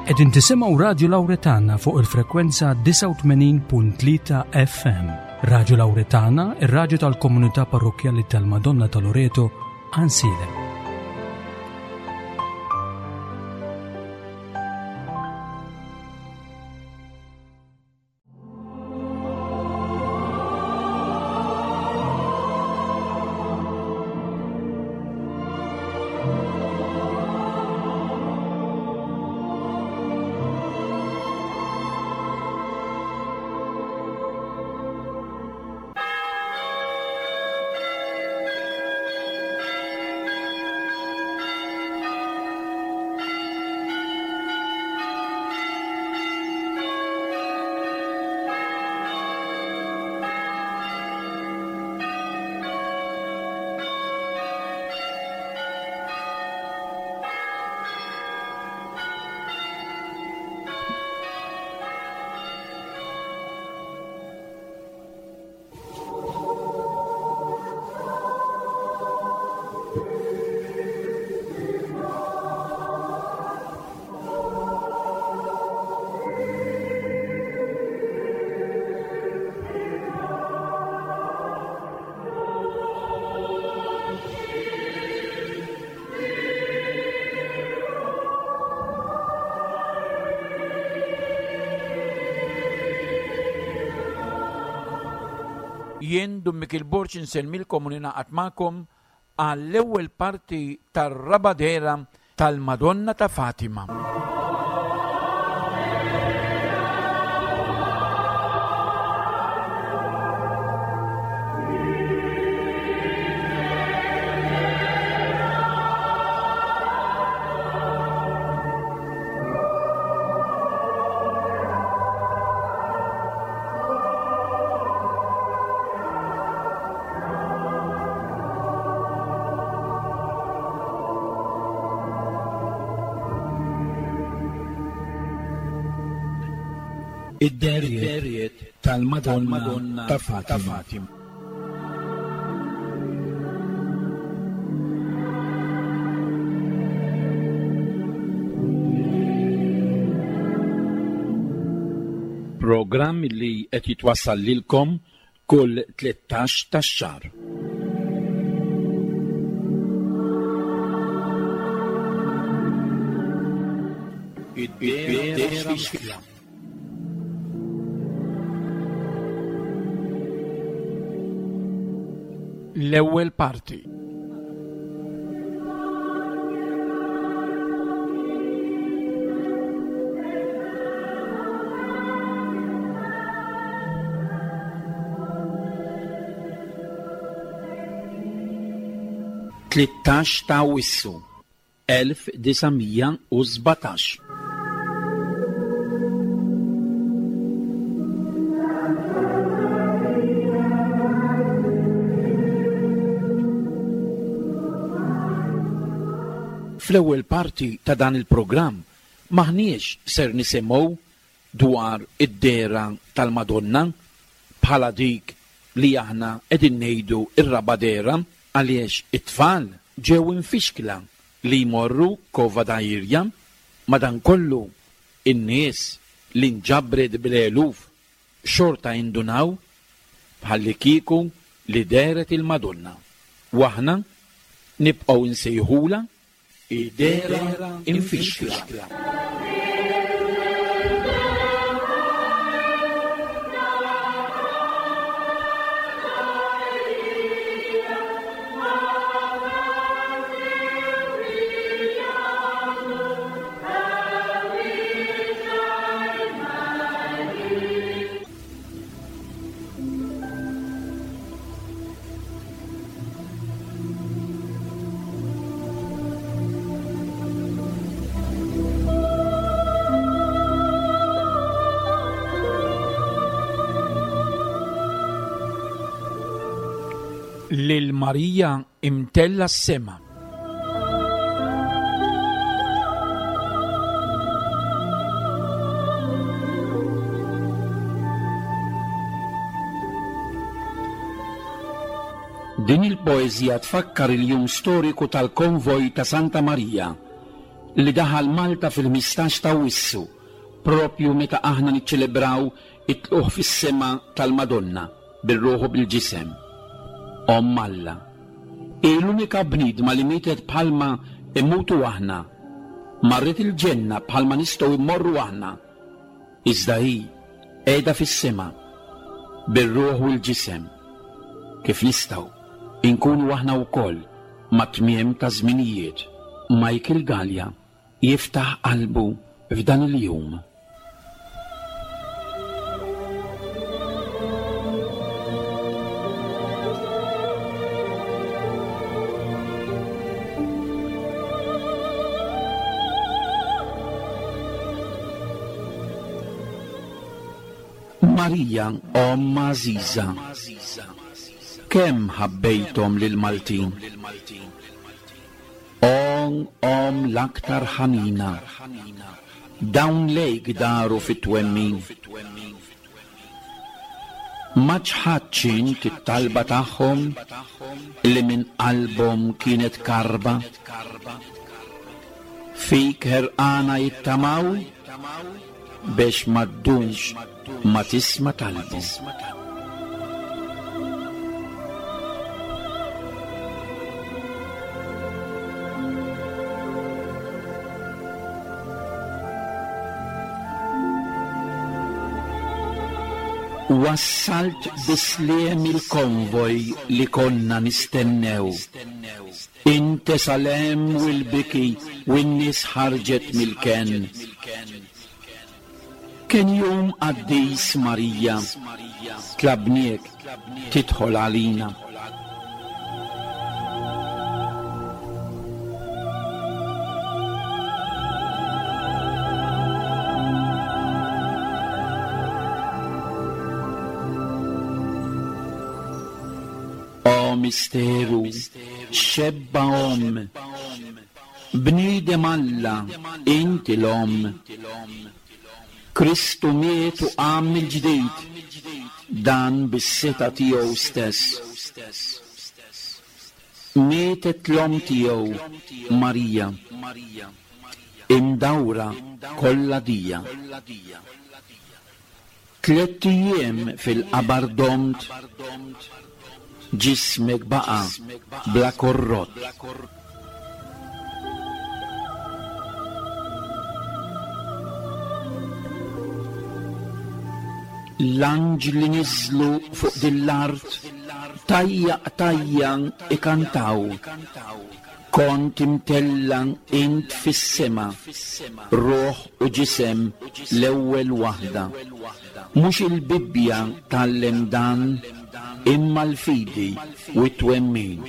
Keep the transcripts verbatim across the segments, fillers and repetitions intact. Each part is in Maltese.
Qegħdin tisimgħu Radju Lawretana fuq il-frekwenza disgħa u tmenin punt tlieta F M. Radju Lawretana, ir-radju tal-Komunità Parrokkjali tal-Madonna ta' Loreto, Għajnsielem. Jien Dun Mikiel Borg insellmilkom u ninaqat magħkom għall-ewwel parti tar-raba' dehra tal-Madonna ta' Fatima. Id-dehriet tal-Madonna ta' Fatima. Programm li qed jitwassal lilkom kull tlettax tax-xahar. Id-dehra L-ewwel parti. Tlettax ta' Awwissu, elf disa' mija u sbatax. Fl-ewwel parti ta' dan il-programm maħniex ser nisimgħu dwar id-dehra tal-Madonna bħala dik li aħna qegħdin ngħidu r-raba' dehra, għaliex it-tfal ġew infixkla li jmorru Cova da Iria. Madankollu in-nies li nġabret bl-eluf xorta indunaw bħalli kieku li dehret il-Madonna. U aħna nibqgħu nsejħula id-dehra infixkla. Lil Marija imtella s-sema. Din il-poeżija tfakkar il-jum storiku tal-konvoj ta' Santa Marija li daħal Malta fil-ħmistax ta' Awwissu, propju meta aħna niċċelebraw it-tluq fis-sema tal-Madonna bir-ruħ u bil-ġisem. Omm Alla. Hi l-unika bniedma li mietet bħalma immutu aħna. Marret il-ġenna bħalma nistgħu immorru aħna. Iżda hi qiegħda fis-sema bir-ruħ u l-ġisem. Kif nistgħu inkunu aħna wkoll mat-tmiem ta' żminijiet. Michael Galea jiftaħ qalbu f'dan il-jum. Marija, omm għażiża, kemm ħabbejthom lill-Maltin. Omm, omm l-aktar ħanina, dawn lejk daru fit-twemmin. Ma ċħadtx int it-talba tagħhom li minn qalbhom kienet karba. Fik ħerqana jittamaw biex ma ddumx ma tisma' talbhom. Wassalt bisliem il-konvoj li konna nistennew. Inte salem u l-biki u n-nies ħarġet mill-kenn. Kien jum qaddis Marija, tlabniek tidħol għalina. O misteru, xebba omm, bniedem Alla, inti l-omm. Kristu miet u qam mill-ġdid, dan bis-seta tiegħu stess. Mietet l-omm tiegħu, Marija, imdawra kollha dija. Tlett ijiem fil-qabar domt, ġismek baqa' bla korrott. L-anġli niżlu fuq din l-art, tajja qtajja ikantaw. Kont imtella int fis-sema, ruħ u ġisem l-ewwel waħda. Mhux il-Bibbja tgħallem dan, imma l-fidi u t-twemmin.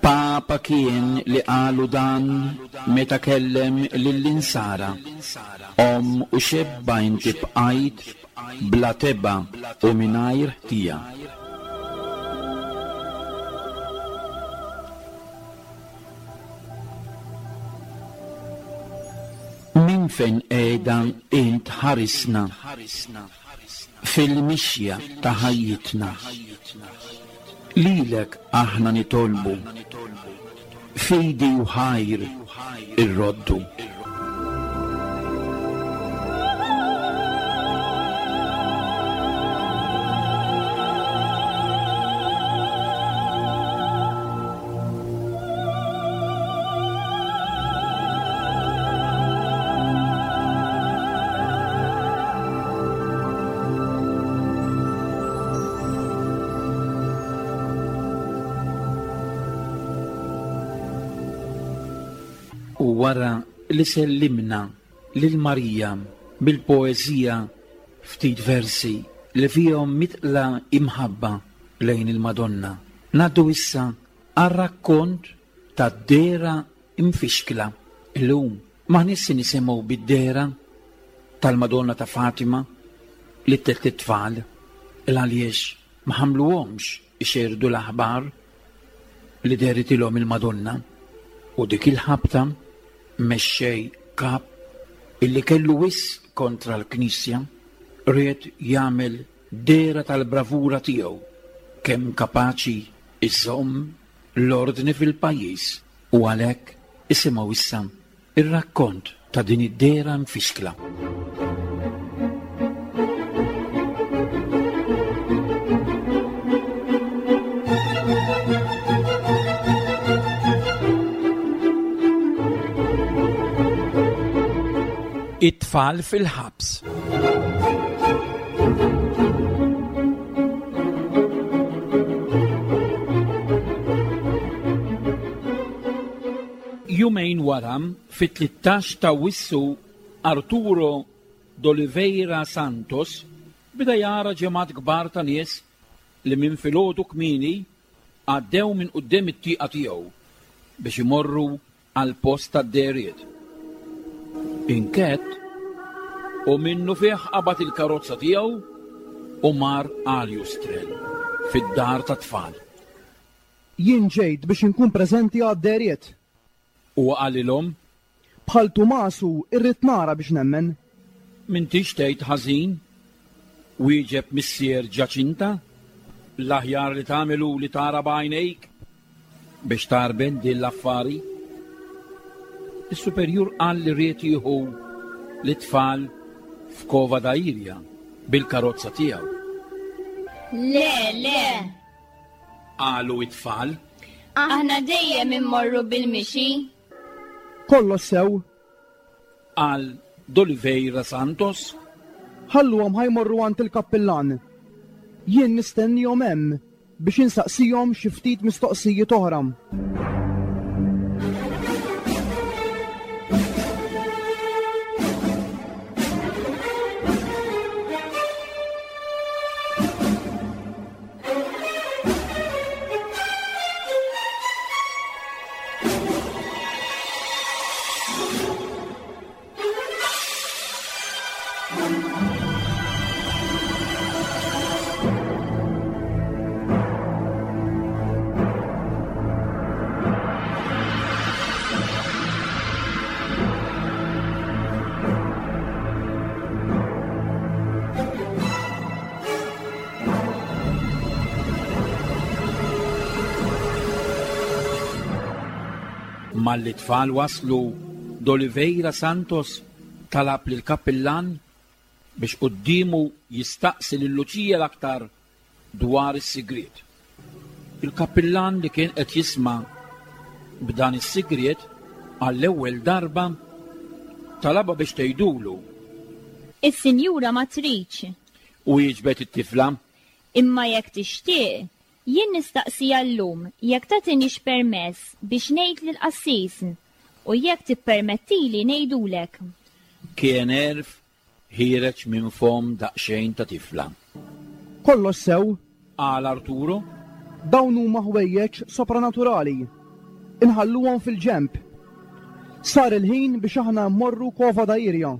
Papa kien li qalu dan meta kellem lill-insara. Omm u xebba inti bqajt bla teba u mingħajr ħtija. Min fejn qiegħda int ħarisna fil-mixja ta' ħajjitna. Lilek aħna nitolbu, fidi u ħajr irroddu. U wara li sellimna lil Marija bil-poeżija ftit versi li fihom mitla imħabba lejn il-Madonna, ngħaddu issa għar-rakkont tad-dehra imfixkla. Illum m'aħniex se nisimgħu bid-dehra tal-Madonna ta' Fatima li tlett it-tfal il għaliex ma ħamluhomx ixerdu l-aħbar li dehritilhom il-Madonna. U dik il-ħabta mexxej kap illi kellu wis kontra l-Knisja ried jagħmel dehra tal-bravura tiegħu kemm kapaċi iżomm l-ordni fil-pajjiż u għalhekk isimgħu issa ir-rakkont ta' din id-dehra mfixkla. It-tfal fil-ħabs. Jumejn wara, fit-tlettax ta' Awwissu, Arturo d'Oliveira Santos beda jara ġemgħat kbar ta' nies li minn filgħodu kmieni għaddew minn quddiem it-tieqa tiegħu biex imorru għal post tad-dehriet. Inkett u minnu fih qabad il-karozza tiegħu u mar Aljustrel fid-dar tat-tfal. Jien ġejt biex inkun preżenti għad-dehriet. U qalilhom, Bħal Tumasu irrid nara biex nemmen. M'intix tgħid ħażin, wieġeb missier Ġaċinta, l-aħjar li tagħmel hu li tara b'għajnejk biex tarben din l-affari. Is-superjur qal li ried jieħu l-tfal f'Cova da Iria bil-karozza tiegħu. Le, le, qalu it-tfal. Aħna dejjem immorru bil-mixi. Kollox sew, qal D'Oliveira Santos. Ħalluhom ħajmorru għand il-kappillan. Jien nistennihom hemm biex insaqsihom xi ftit mistoqsijiet oħra. Malli tfal waslu, D'Oliveira Santos talab lil kappillan biex quddiemu jistaqsi lil Luċija l-aktar dwar is-sigriet. Il-kappillan li kien qed jisma' b'dan is-sigriet għall-ewwel darba talabha biex tgħidulu. Is-sinjura ma tridx. U jiġbed it-tifla. Imma jekk tixtieq, jien nistaqsija llum jekk tagħtinix permess biex ngħid lill-qassis u jekk tippermettili ngħidulek. Kien għerf ħiereġ minn fom daqsxejn ta' tifla. Kollox sew, qal Arturo. Dawn huma ħwejjeġ sopranaturali. Inħalluhom fil-ġemp. Sar il-ħin biex aħna mmorru Cova da Iria.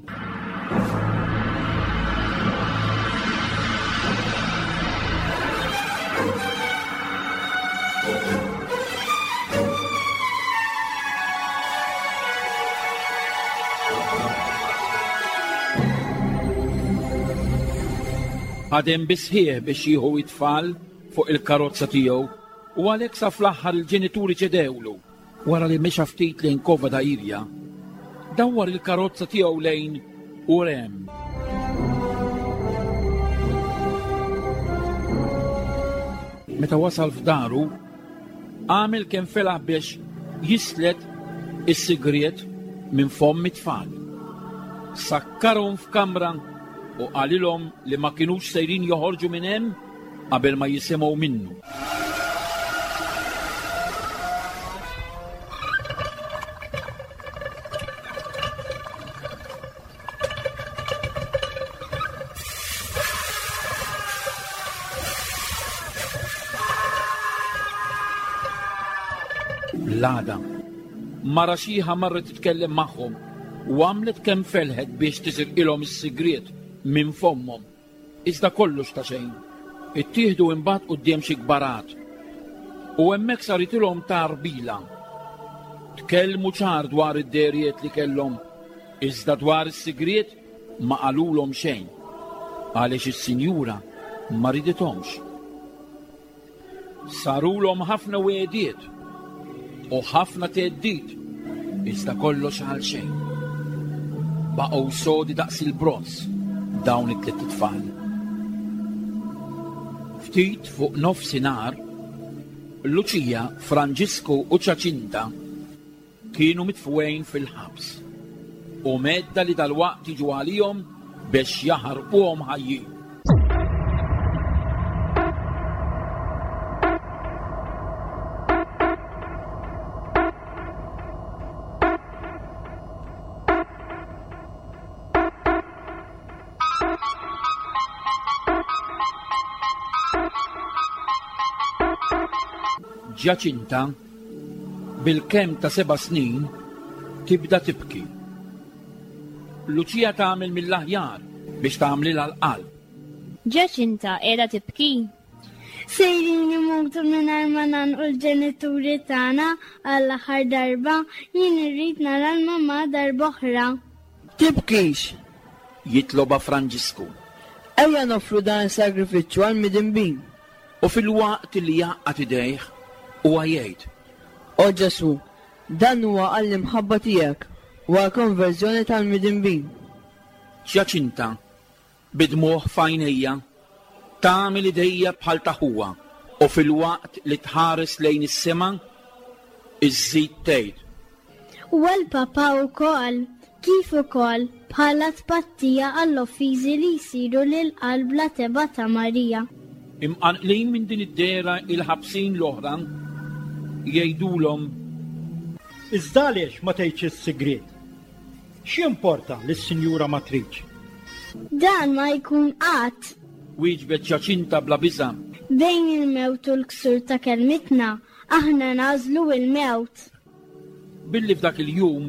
Ħadem bisħieħ biex jieħu it-tfal fuq il-karozza tiegħu u għalhekk sa fl-aħħar il-ġenituri ċedewlu. Wara li mexa ftit lejn Cova da Iria, dawwar il-karozza tiegħu lejn Ourém. Meta wasal f'daru, għamel kemm felaħ biex jislet is-sigriet minn fomm it-tfal. Sakkarhom f'kamra u qalilhom li ma kinux sejrin joħorġu minn hemm qabel ma jisimgħu minnu. L-għada, mara xiħa marret titkellem magħhom u għamlet kemm felħet biex tisirqilhom is-sigriet minn fommhom. Iżda kollox ta' xejn. Ittieħdu imbagħad quddiem xi kbarat u hemmhekk saritilhom tarbila. Tkellmu ċar dwar id-dehriet li kellhom, iżda dwar is-sigriet ma qalulhom xejn, għaliex is-sinjura Ma ridithomx. Sarulhom ħafna wegħdiet u ħafna theddid, iżda kollox għal xejn. Baqgħu sodi daqs il-bronż dawn it-tliet itfal. Ftit fuq nofsinhar, Luċija, Franġisku u Ġaċinta kienu mitfugħin fil-ħabs u medda li dalwaqt jiġu għalihom biex jaħarquhom ħajjin. Ġaċinta, bil-kemm ta' seba' snin, tibda tibki. Luċija tagħmel mill-aħjar biex tagħmlilha l-qalb. Ġaċinta qiegħda tibki? Sejrin imutu mingħajr ma nagħnqu l-ġenituri tagħna għall-aħħar darba, jien irrid nara l-mamà darba oħra. Tibkix! Jitloba Franġisku. Ejja noffru dan is-sagrifiċċju għall-midinbin. U fil-waqt li jgħaqqad idejh huwa jgħid: O Ġesu, dan huwa għall-imħabba tiegħek u għall-konverżjoni tal-midinbin. Ġaċinta, bidmuħ f'għajnejja, tagħmel idejja bħal ta' ħuha u fil-waqt li tħares lejn is-sema, iżżid tgħid: U għall-Papa wkoll, kif ukoll bħala tpattija għall-offiżi li jsiru lil qalb la teba' ta' Marija. Imqanqlin minn din id-dehra il-ħabsin l-oħra jgħidulhom: Iżda għaliex ma tgħidx is-sigriet? X'jimporta lis-Sinjura Matriċ? Dan ma jkun qatt. Wieġbet Ġaċinta bla biża'. Bejn il-mewt u l-ksur ta' kelmitna, aħna nagħżlu l-mewt. Billi f'dak il-jum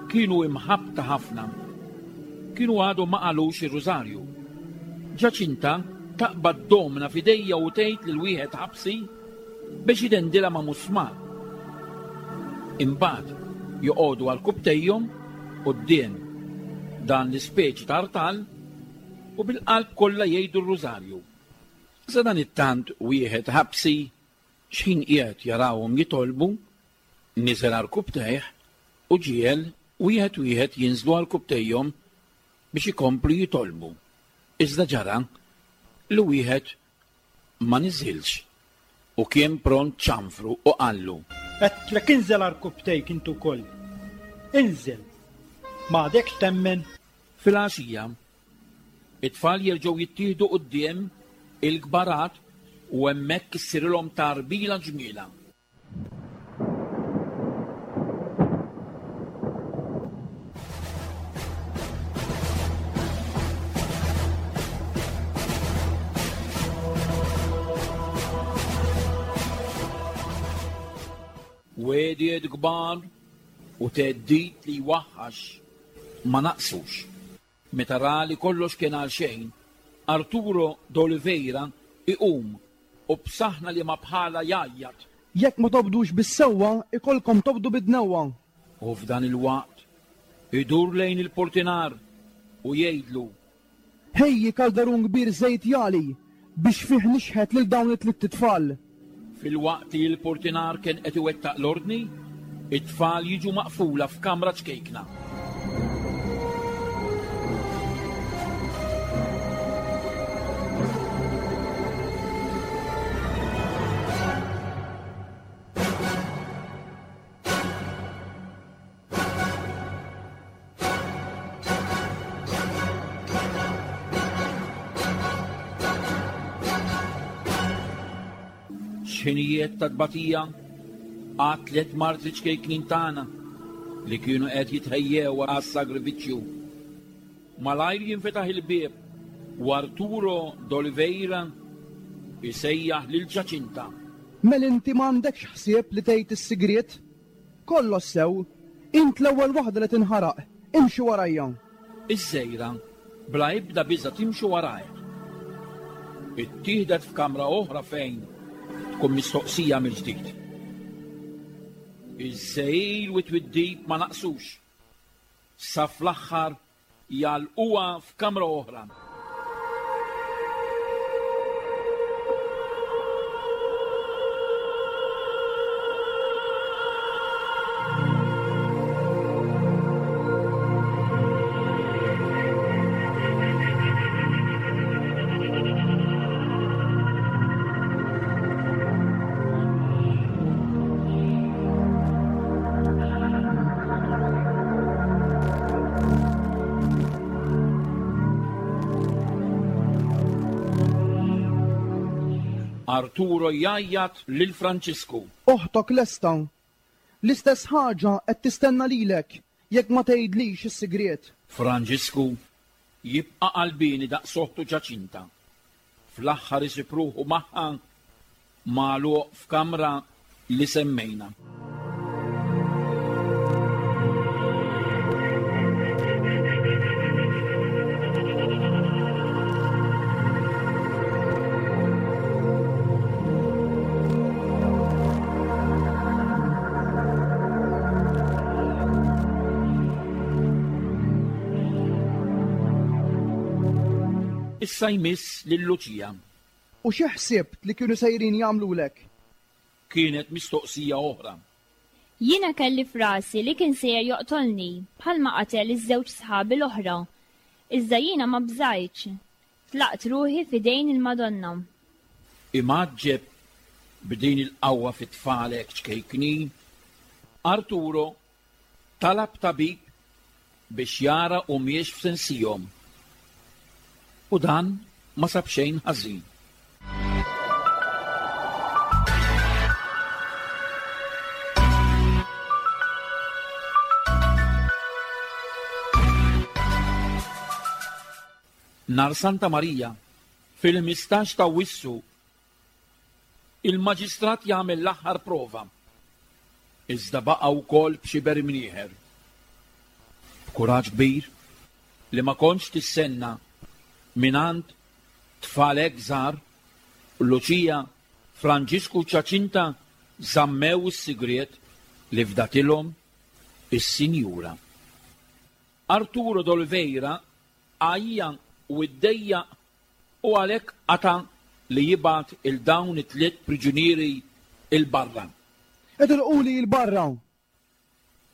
kienu imħabbta ħafna, kienu għadhom ma qalux ir-rużarju. Ġaċinta taqbad domna f'idejja u tgħid lil wieħed ħabsi biex idendilha ma' musmar. Imbagħad joqogħdu għal kubtejhom quddiem dan l-ispeċi ta' artal u bil-qalb kollha jgħidu r-rużarju. Sa dan it-tant wieħed ħabsi x'ħin qiegħed jarawhom jitolbu, niżel għal kubtejh u ġiel wieħed wieħed jinżlu għal kubtejhom biex ikomplu jitolbu. Iżda ġara li wieħed ma niżilx u kien pront ċanfru u qallu: Għedtlek inżel għal kubtejk intu wkoll. Inżel. Ma għadekx temmen. Fil-għaxija, it-tfal jerġgħu jittieħdu quddiem il-kbarat u hemmhekk issirilhom tarbila ġmiela. Wegħdiet kbar u theddid li jwaħħax ma naqsux. Meta ra li kollox kien għal xejn, Arturo d'Oliveira iqum u b'saħna li ma bħala jgħajjat: Jekk ma tobdux bis-sewwa, ikolkom tobdu bid-dnewwa. U f'dan il-waqt idur lejn il-portinar u jgħidlu: Ħejji kaldarun kbir żejt jali biex fih nixħet lil dawn it-tliet tfal. Fil-waqt li l-portinar kien qed iwettaq l-ordni, it-tfal jiġu maqfula f'kamra ċkejkna. X'ħinijiet ta' tbatija għat tliet martri ċkejknin tagħna li kienu qed jitħejjew għas-sagrifiċċju. Malajr jinfetaħ il-bieb u Arturo d'Oliveira isejjaħ lil Ġaċinta. Mel inti m'għandekx ħsieb li tgħid is-sigriet? Kollox sew, int l-ewwel waħda li tinħaraq, imxi warajja. Iż-żejra bla ebda biża' timxi warajh. Ittieħdet f'kamra oħra fejn tkun mistoqsija mill-ġdid. Iż-żejl u t-twiddib ma naqsux. Sa fl-aħħar jgħalquha f'kamra oħra. Arturo jgħajjat lil Franġisku. Oħtok lesta. L-istess ħaġa qed tistenna lilek jekk ma tgħidlix is-sigriet. Franġisku jibqa' qalbieni daqs oħtu Ġaċinta. Fl-aħħar isib ruħu magħha magħluq f'kamra li semmejna. Issa jmiss lil Luċija. U xi ħsibt li kienu sejrin jagħmlulek? Kienet mistoqsija oħra. Jiena kelli frasi li kien sejjer joqtolni bħalma qatel iż-żewġ sħabi l-oħra. Iżda jiena ma bżajtx. Tlaqt ruħi f'idejn il-Madonna. Imgħaġġeb b'din il-qawwa fit-tfal hekk ċkejknin, Arturo talab tabib biex jara u mhijiex f'sensihom. U dan ma sab xejn ħażin. Nhar Santa Marija, fil-ħmistax ta' Wissu, il-maġistrat jagħmel l-aħħar prova. Iżda baqa' wkoll b'xi bermnieħer. B'kuraġġ kbir li ma kontx tissenna mingħand tfal hekk żgħar, Luċija, Franġisku u Ġaċinta żammew is-sigriet li fdatilhom is-Sinjura. Arturo d'Oliveira għajja u iddejjaq u għalhekk qata' li jibgħat il dawn it-tliet priġunieri il barra. Itilquli il barra.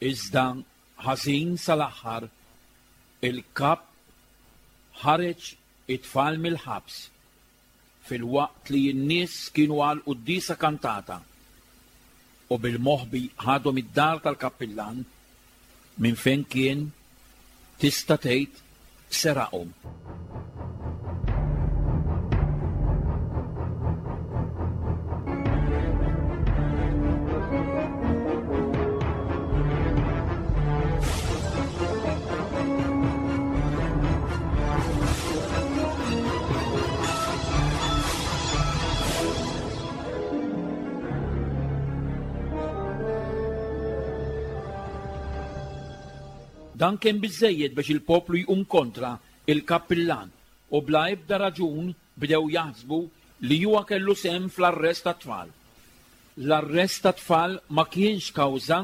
Iżda ħażin sal-aħħar il-kap ħareġ it-tfal mill-ħabs fil-waqt li n-nies kienu għal quddiesa kantata u bil-moħbi ħadhom id-dar tal-kappillan minn fejn kien tista' tgħid seraqhom. Dan kien biżżejjed biex il-poplu jqum kontra il-kappillan u bla ebda raġun bdew jaħsbu li huwa kellu sehem fl-arrest tat-tfal. L-arrest tat-tfal ma kienx kawża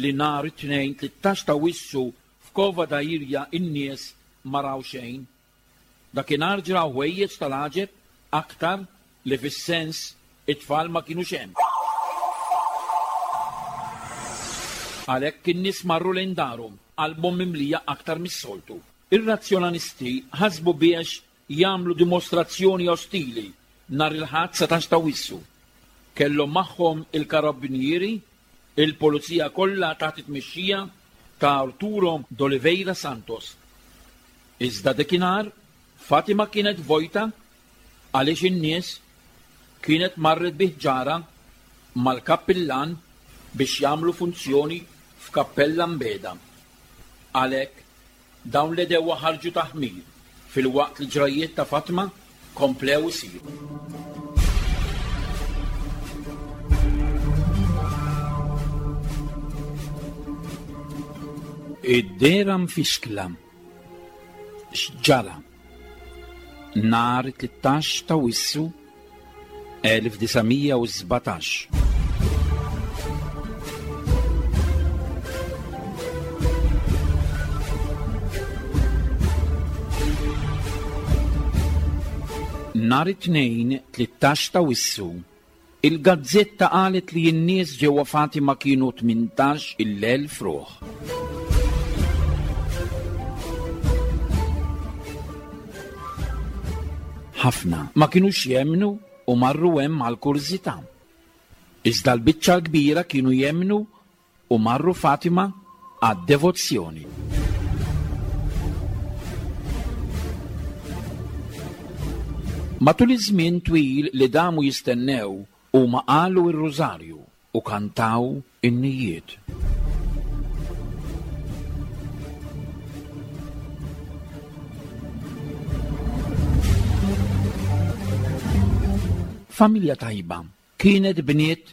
li nhar it-tnejn tlettax ta' Wissu f'Kova da Iria in-nies ma raw xejn. Dakinhar ġraw ħwejjeġ tal-għaġeb aktar li fis-sens it-tfal ma kinux hemm. Għalhekk in-nies marru lejn darhom qalbhom mimlija aktar mis-soltu. Ir-razzjonalisti ħasbu biex jagħmlu dimostrazzjoni ostili nhar il-Ħadd satax ta' Wissu. Kellhom magħhom il-karabinieri, il-pulizija kollha taħt it-tmexxija ta' Arturo d'Oliveira Santos. Iżda dakinhar Fatima kienet vojta għaliex in-nies kienet marret bi ħġara mal-kappillan biex jagħmlu funzjoni f'kappella mbeda. Għalhekk dawn l-edewa ħarġu taħmir fil-waqt li ġrajiet ta' Fatima komplew isiru. Id-dera mfixkla x'ġara nhar tlettax ta' Wissu elf disa' u sbatax. Nhar it-tnejn tlettax ta' Wissu, il-gazzetta qalet li n-nies ġewwa Fatima kienu tmintax il-elf ruħ. Ħafna ma kinux jemmnu u marru hemm għall-kurżità. Iżda l-biċċa l-kbira kienu jemmnu u marru Fatima għad-devozzjoni. Matul iż-żmien twil li damu jistennew huma qalu r-rużarju u kantaw innijiet. Familja tajba kienet bniet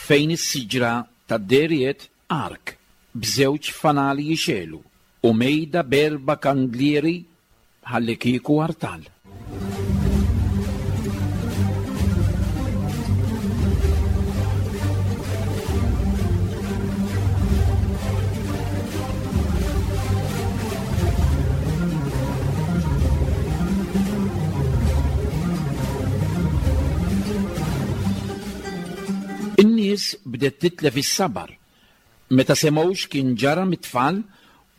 fejn is-siġra tad-deriet ark b'żewġ fanali jixelu u mejda b'erba' kandlieri ħalli kieku artal. In-nies bdiet titlef is-sabar meta semgħu x'kien ġara mit-tfal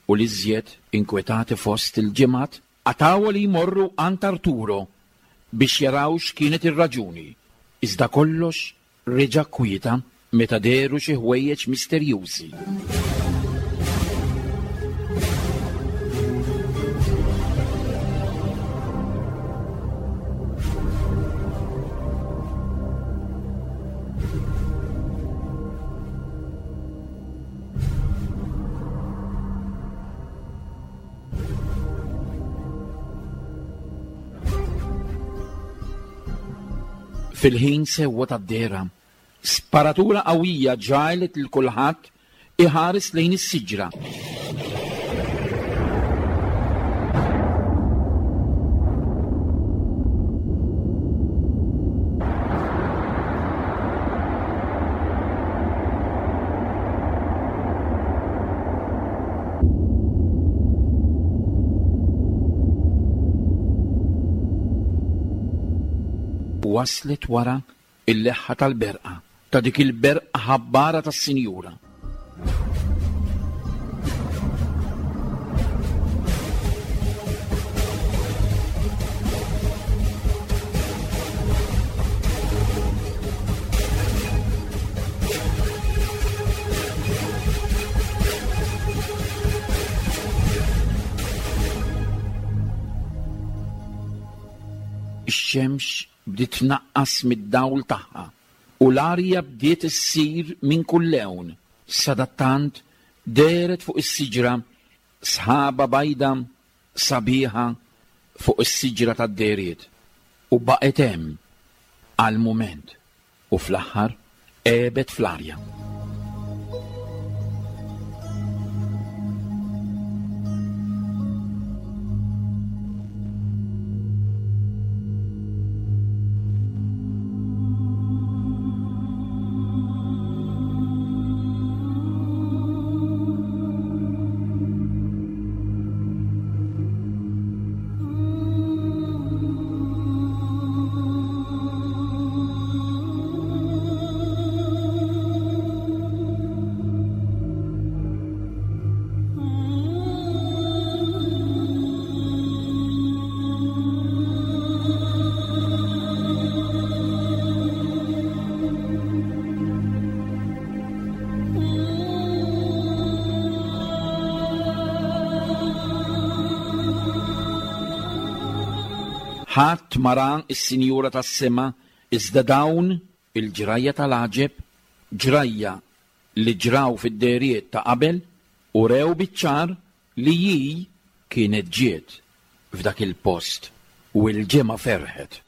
u l-iżjed inkwetati fost il-ġimgħat qatgħu li jmorru għand Arturo biex jaraw x'kienet ir-raġuni. Iżda kollox reġa' kwieta meta dehru xi ħwejjeġ misterjużi. Fil-ħin sewwa tad-dehra, sparatura qawwija ġagħlet lil kulħadd iħares lejn is-siġra. Waslet wara il-leħħa tal-berqa, ta' dik il-berqa ħabbara tas-sinjura. Ix-xemx bdiet tnaqqas mid-dawl tagħha u l-arja bdiet issir minn kull lewn. Sadattant dehret fuq is-siġra sħaba bajda sabiħa fuq is-siġra tad-dehriet u baqgħet hemm għal mument u fl-aħħar għebet fl-arja. Ħadd ma ra s-Sinjura tas-Sema iżda dawn il-ġrajja tal-għaġeb, ġrajja li ġraw fid-dehriet ta' qabel u rew biċ-ċar li hi kienet ġiet f'dak il-post u l-ġemgħa ferħet.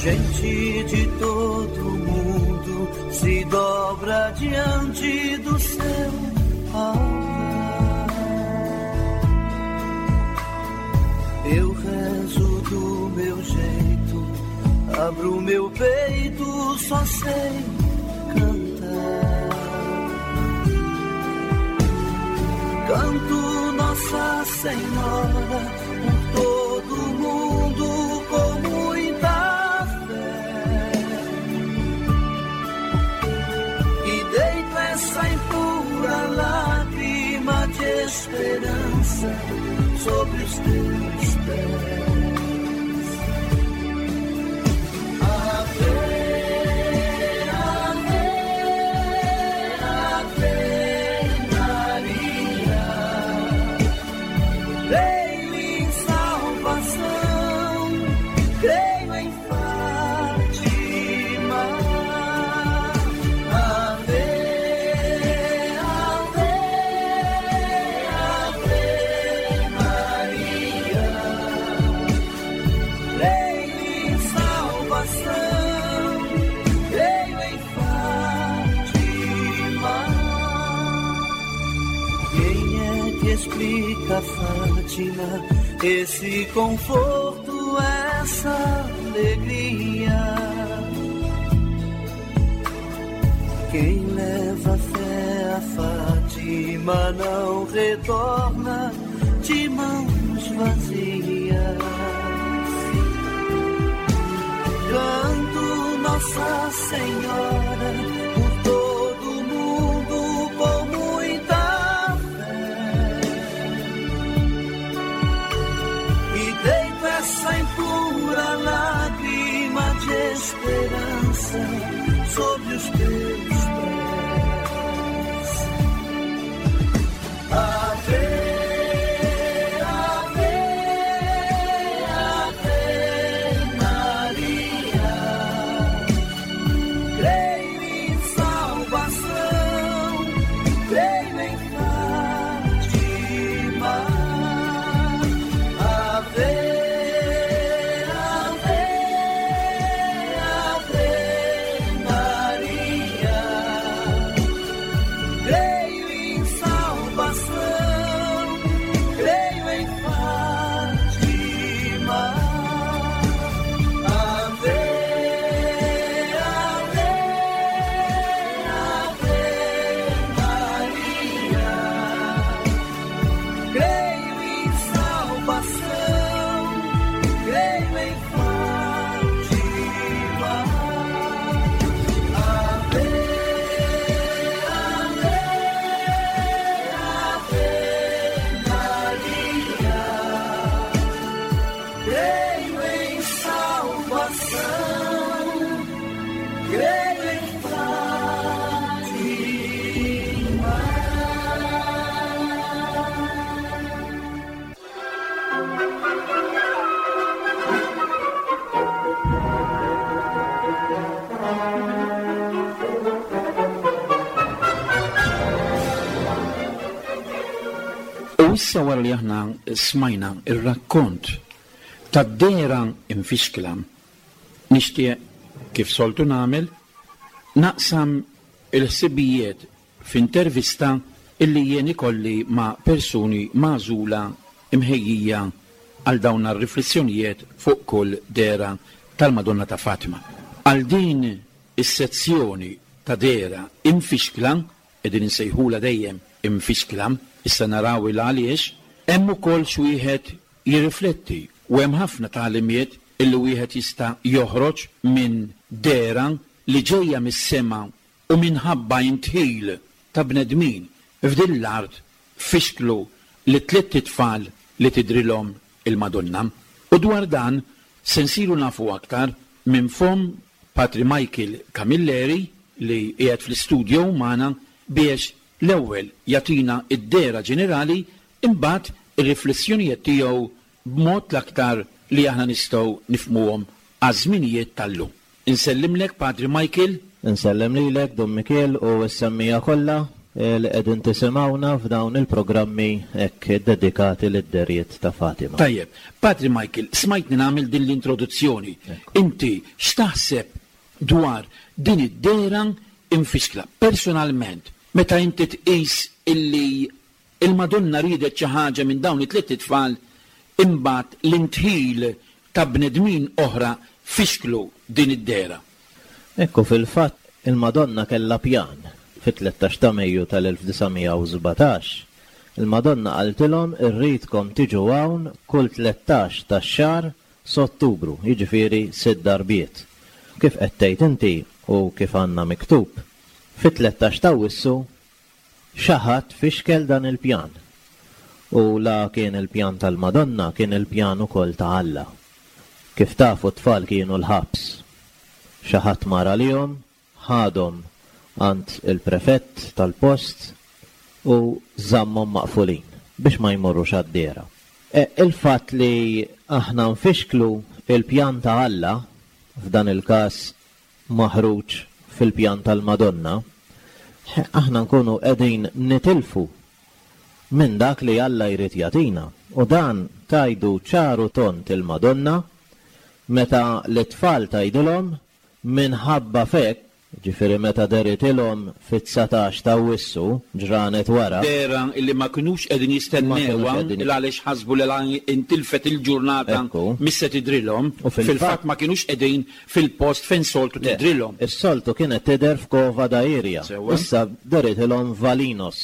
Gente de todo mundo se dobra diante do seu altar. Eu rezo do meu jeito, abro meu peito, só sei cantar. Canto Nossa Senhora por todo mundo com muita fé. E deito essa impura lágrima de esperança sobre os teus pés. Ave, ave, ave Maria. Creio em salvação, creio em Fátima. Ave, ave, ave Maria. Creio em salvação, creio em Fátima. Quem é que explica, Fátima, esse conforto, essa alegria? Quem leva fé a Fátima não retorna de mãos vazias. Canto Nossa Senhora por todo mundo com muita fé. E deito essa impura lágrima de esperança sobre os teus pés. Ave, ave, ave Maria. Creio em salvação, creio em Fátima. Ave, ave, ave Maria. Creio em salvação, creio em Fátima. Ave, ave, ave Maria. Creio em salvação, creio em Fátima. Ave, ave, ave Maria. Creio em salvação, creio em Fátima. U issa wara li aħna smajna ir-rakkont tad-dehra imfixkla, nixtieq kif soltu nagħmel naqsam il-ħsibijiet f'intervista illi jien ikolli ma' persuni magħżula imħejjija għal dawn ar-riflessjonijiet fuq kull dehra tal-Madonna ta' Fatima. Għal din is-sezzjoni ta' dehra imfixkla, qegħdin insejħula dejjem imfixkla, issa naraw il għaliex, hemm ukoll xi wieħed jirrifletti u hemm ħafna tagħlimiet illi wieħed jista' joħroġ minn dehra li ġejja mis-sema u minħabba intħil ta' bnedmin f'din l-art fixklu li tliet itfal li tidrilhom il-Madonna. U dwar dan se nsiru nafu aktar minn fomm Patri Michael Camilleri li qiegħed fl-istudio magħna biex l-ewwel jagħtina id-dehra ġenerali, imbagħad ir-riflessjonijiet tiegħu b'mod l-aktar li aħna nistgħu nifhmuhom għaż-żminijiet tal-lum. Insellimlek Patri Michael. Insellem lilek Dun Mikiel u s-semmija kollha. li qegħdin tisimgħuna f'dawn il-programmi hekk dedikati lid-derijiet ta' Fatima. Tajjeb, Patri Michael, smajtni nagħmel din l-introduzzjoni. Inti x'taħseb dwar din id-dehra imfixkla? Personalment, meta inti tqis illi il-Madonna riedet xi ħaġa minn dawn it-tliet itfal, imbagħad l-intħil ta' bnedmin oħra fixklu din id-dehra. Ekku, fil-fatt il-Madonna kellha pjan. Fit-tlettax ta' Mejju tal-elf disa' mija u sbatax, il-Madonna qaltilhom irridkom tiġu hawn kull tlettax tax-xahar s'Ottubru, jiġifieri sitt darbiet. Kif qed tgħid inti u kif għandna miktub, fit-tlettax ta' Awwissu xi ħadd fixkel dan il-pjan. U la kien il-pjan tal-Madonna, kien il-pjan ukoll ta' Alla. Kif tafu t-tfal kienu l-ħabs. Xi ħadd mar għalihom, ħadhom għand il-prefett tal-post u żammhom maqfulin biex ma jmorrux għad-dehra. E, il-fatt li aħna nfixklu il-pjan ta' Alla, f'dan il-każ maħruġ fil-pjan tal-Madonna, aħna nkunu qegħdin nitilfu minn dak li Alla jrid jagħtina. U dan tajdu ċaru tont il-Madonna meta l-tfal tgħidilhom minħabba fek, ġifieri meta deritilhom fit-dsatax ta' Awwissu, ġranet wara. Dera illi ma kinux qegħdin jistennewha, Ma kinux qegħdin il għaliex ħasbu li la intilfet il-ġurnata Ekku. missa tidrilhom. U fil-fatt Fil-fatt ma kinux qegħdin fil-post fejn soltu Le, tidrilhom. Is-soltu kienet tidher f'Cova da Iria. Sewwa. Issa deritilhom Valinhos,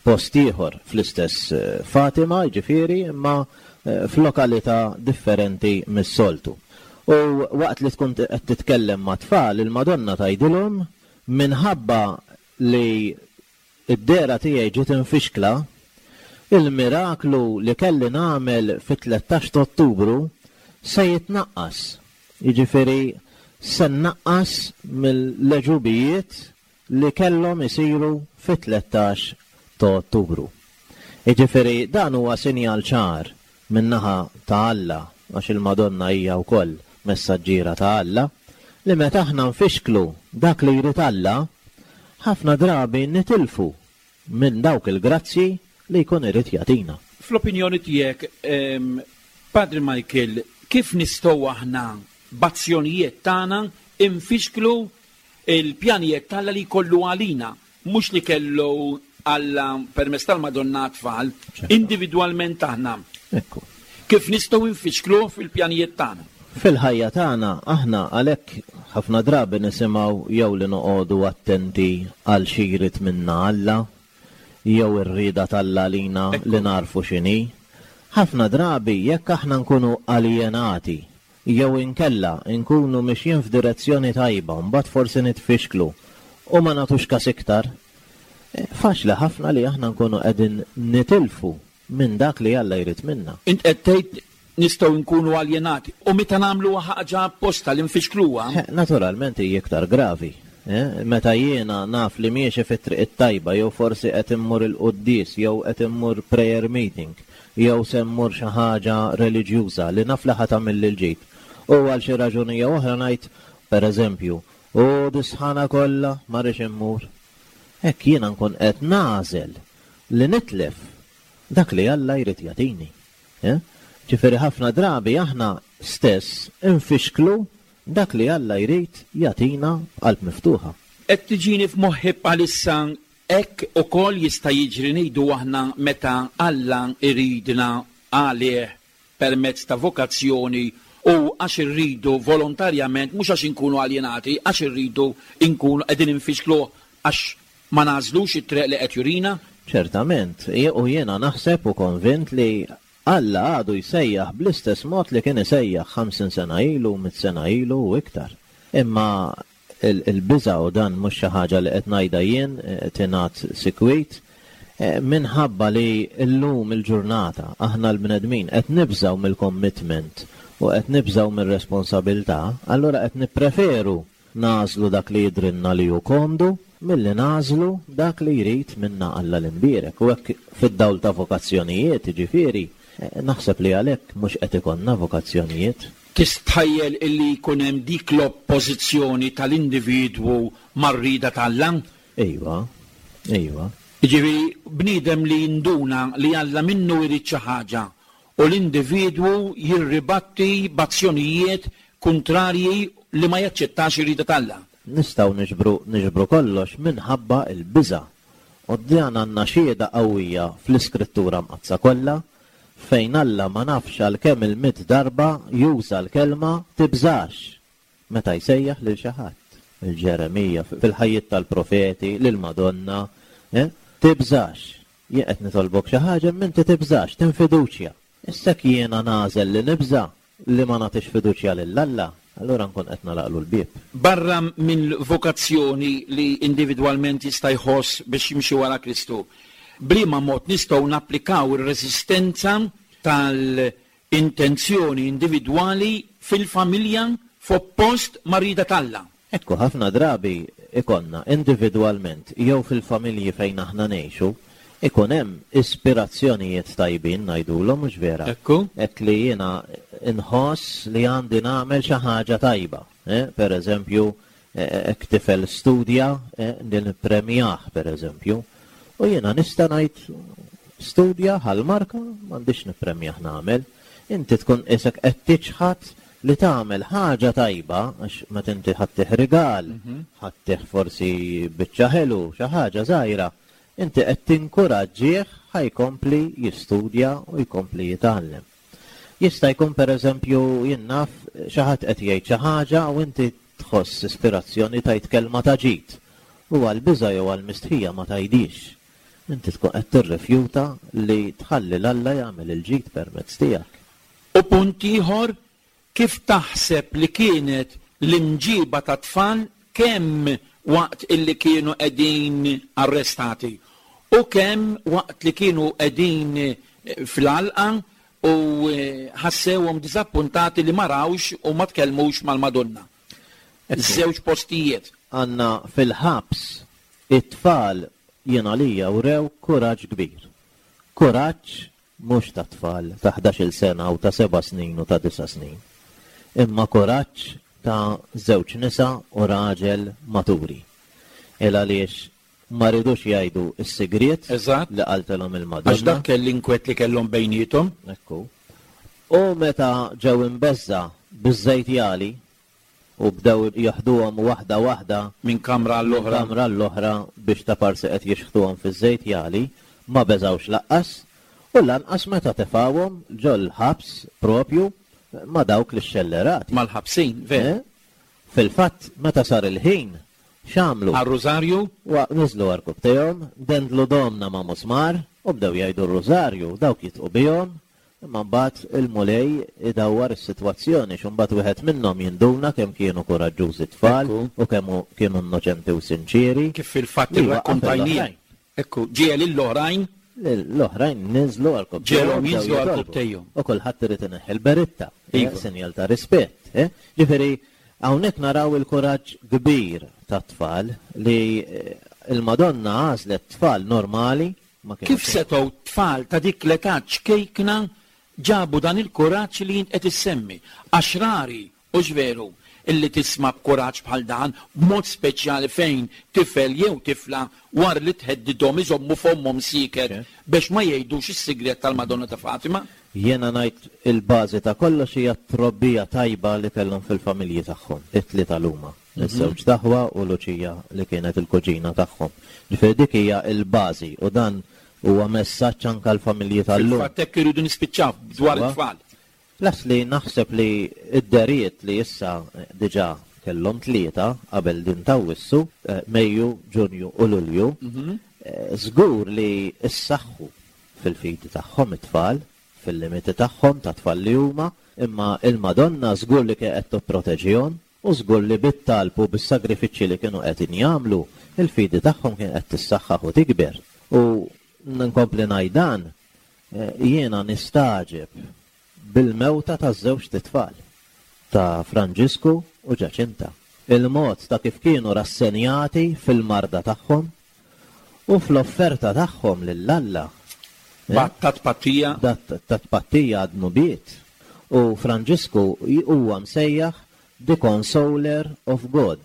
post ieħor fl-istess, eh, Fatima, ġifieri, imma, eh, f'lokalità differenti mis-soltu. U waqt li tkun qed titkellem ma' tfal, il-Madonna tgħidilhom minħabba li id-dehra tiegħi ġiet infixkla, il-miraklu li kelli nagħmel fit-tlettax ta' Ottubru se jitnaqqas. Jiġifieri se nnaqqas mill-leġubijiet li kellhom isiru fit-tlettax ta' Ottubru. Jiġifieri dan huwa sinjal ċar min-naħa ta' Alla, għax il-Madonna hija wkoll messaġġiera ta' Alla, li meta aħna nfixklu dak li jrid Alla, ħafna drabi nitilfu minn dawk il-grazzji li jkun irid jagħtina. Fl-opinjoni tiegħek, ehm, Padre Michael, kif nistgħu aħna b'azzjonijiet tagħna infixklu il-pjanijiet t'Alla li jkollu għalina, mhux li kellu Alla permezz tal-Madonna tfal, Ċerto. individwalment aħna. Ekku. Kif nistgħu nfixklu fil-pjanijiet tagħna? Fil-ħajja tagħna aħna għalhekk ħafna drabi nisimgħu jew li noqogħdu attenti għal xi jrid minna Alla, jew ir-rieda t'Alla lina Ekku. li narfu x'inhi. Ħafna drabi jekk aħna nkunu aljenati jew inkella nkunu mixjin f'direzzjoni tajba, mbagħad forsi nitfixklu u ma nagħtux każ iktar, eh, faċli ħafna li aħna nkunu qegħdin nitilfu minn dak li Alla jrid minna. Int qed tgħid nistgħu nkunu aljenati u meta nagħmlu ħaġa apposta li nfixkluha. Eh, naturalment hija iktar gravi. Eh, meta jiena naf li miexi fit-triq it-tajba, jew forsi qed immur il-quddies, jew qed immur prayer meeting, jew se mmur xi ħaġa reliġjuża li naf li ħa tagħmel il-ġid. U għal xi raġuni jew oħra ngħid, pereżempju, u disħana kollha ma rridx immur. Hekk jiena nkun qed nagħżel li nitlef dak li Alla jrid jagħtini. Eh? Ġifieri ħafna drabi aħna stess infixklu dak li Alla jrid jagħtina b'qalb miftuħa. Qed tiġini f'moħħi bħalissa hekk ukoll jista' jiġri ngħidu aħna meta Alla jridna għalih permezz ta' vokazzjoni u għax irridu volontarjament, mhux għax inkunu aljenati, għax irridu nkunu qegħdin infixklu għax ma nagħżlux it-triq li qed jurina? Ċertament, je-, u jiena naħseb u konvint li Alla għadu jsejjaħ bl-istess mod li kien isejjaħ ħamsin sena ilu, mitt sena ilu u iktar. Imma il-, il-biża' u dan mhux xi ħaġa li qed ngħidha jien, eh, tingħad sikwit, eh, minħabba li llum il-ġurnata aħna l-bnedmin qed nibżgħu mill-commitment u qed nibżgħu mir-responsabilità, allura qed nippreferu nagħżlu dak li jidrinna li hu komdu milli nagħżlu dak li jrid minna Alla l-imbierek. U hekk fid-dawl ta' vokazzjonijiet, jiġifieri, eh, naħseb li għalhekk mhux qed ikollna vokazzjonijiet. Tistħajjel illi jkun hemm dik l-oppożizzjoni tal-individwu mar-rieda t'Alla? Iva, Ejwa. Jiġifieri bniedem li jinduna li Alla minnu jrid xi ħaġa u l-individwu jirribatti b'azzjonijiet kuntrarji li ma jaċċettax ir-rieda t'Alla. Nistgħu niġbru niġbru kollox minħabba l-biża'. U dan għandna xhieda qawwija fl-Iskrittura Mqaddsa kollha fejn Alla ma nafx għal kemm il-mitt darba juża l-kelma tibżax meta jsejjaħ lil xi ħadd. Il-Ġeremija fil-ħajjiet tal-profeti, lil Madonna, eh? Tibżax. Jien qed nitolbok xi ħaġa imma inti tibżax, tinfiduċja. Issa jiena nagħżel li nibża' li ma nagħtix fiduċja lil Alla, allura nkun qed nagħlaqlu l-bieb. Barra minn vokazzjoni li individwalment jista' jħoss biex jimxi wara Kristu, b'liema mod nistgħu napplikaw ir-reżistenza tal-intenzjoni individwali fil-familja f'oppost mar-rieda t'Alla? Ekku, ħafna drabi ikonna individwalment jew fil-familji fejn aħna ngħixu, ikun hemm ispirazzjonijiet tajbin ngħidulhom, mhux vera? Ekku. Hekk li jiena inħoss li għandi nagħmel xi ħaġa tajba. Eh? Per eżempju, hekk tifel studja, eh, li nippremjah per eżempju. U jiena nista' ngħid studja ħal-marka m'għandix nippremjah nagħmel. Inti tkun isek qed tiċħad li tagħmel ħaġa tajba għax meta inti ħa ttih rigal, ħa ttih forsi biċċa ħelu, xi ħaġa żgħira, inti qed tinkuraġġih ħa jkompli jistudja u jkompli jitgħallem. Jista' jkun pereżempju jien naf xi ħadd qed jgħid xi ħaġa u inti tħoss ispirazzjoni tgħid kelma ta' ġid. U għal biża' jew għal mistħija ma tgħidix. Inti tkun qed tirrifjuta li tħalli 'l Alla jagħmel il-ġid permezz tiegħek. U punt ieħor, kif taħseb li kienet l-imġiba ta' tfal kemm waqt illi kienu qegħdin arrestati u kemm waqt li kienu qegħdin fl-għalqa u ħassewhom diżappuntati li ma rawx u ma tkellmux mal-Madonna. Żewġ postijiet. Għandna fil-ħabs it-tfal jien għalija wrew kuraġġ kbir. Kuraġġ mhux ta' tfal ta' ħdax-il sena u ta' seba' snin u ta' disa' snin. Imma kuraġġ ta' żewġ nisa u raġel maturi. Il għaliex ma ridux jgħidu s-sigriet Eżatt. li qaltilhom il-Madonna. Għax dak kell l-inkwet li kellhom bejniethom. Ekku. U meta ġew imbeżża' biż-żejt jagħli u bdew jaħduhom waħda waħda minn kamra għall-oħra. Kamra għall-oħra biex ta' parsi qed jixħtuhom fiż-żejt jagħli, ma beżawx laqqas u lanqas meta tefawhom ġol-ħabs propju ma' dawk li xxellerati. Mal-ħabsin, veru. Eh? Fil-fatt, meta sar il-ħin, x'għamlu? Għar-rużarju? Wa niżlu għarkupptejhom, dendlu domna ma' musmar u bdew jgħidu r-rużarju, dawk jitqu bihom, imma mbagħad il-Mulej idawwar is-sitwazzjoni, x'imbagħad wieħed minnhom jinduna kemm kienu kuraġġużi tfal Ekku. u kemm kienu innoċenti u sinċieri. Kif fil-fatt Li waqaf irrakkontajnija. l-oħrajn. Ekku, ġiel l-oħrajn. L-oħrajn niżlu għarkupptejhom, Ġielhom bdew jinżlu jitolbu. għarkupptejhom. U kulħadd irid ineħħi l-beritta, eh, Iva. sinjal ta' rispett. eh. Ġifieri, hawnhekk naraw il-kuraġġ kbir tat-tfal li, eh, il-Madonna għażlet tfal normali. Ma kienu Kif setgħu tfal ta' dik l-età ċkejkna ġabu dan il-kuraġġ li jint qed issemmi? Għax rari, u veru, illi tisma' b'kuraġġ bħal dan, b'mod speċjali fejn tifel jew tifla war li tħeddidhom iżommu fommhom sieket Ok. biex ma jgħidux is-sigriet tal-Madonna ta' Fatima. Jiena ngħid il-bażi ta' kollox hija t-trobbija tajba li kellhom fil-familji tagħhom, it-tlieta l-huma, iż-żewġ taħwa u Luċija li kienet il-kuġina tagħhom. Ġifieri dik hija l-bażi u dan huwa messaġġ anke l-familji tal-lum. Fil-fatt hekk iridu nispiċċaw dwar Sewwa. it-tfal. Plus li naħseb li id-deriet li issa diġà kellhom tlieta qabel din t'Awwissu, eh, Mejju, Ġunju u Lulju, Mhm. eh, żgur li issaħħu fil-fidi tagħhom it-tfal, fil-limiti tagħhom ta' tfal li huma, imma il-Madonna żgur li kien qed tipproteġihom u żgur li bit-talb u bis-sagrifiċċji li kienu qed jagħmlu, il-fidi tagħhom kien qed tissaħħaħ u tikber. U nkompli ngħid dan, eh, jiena nistagħġeb bil-mewta taż-żewġ titfal ta' Franġisku u Ġaċinta. Il-mod ta' kif kienu rassenjati fil-marda tagħhom u fl-offerta tagħhom lil Alla. Eh? Bat ta' tpattija. Dat ta' tpattija għad-dnubiet. U Franġisku huwa msejjaħ the Consoler of God,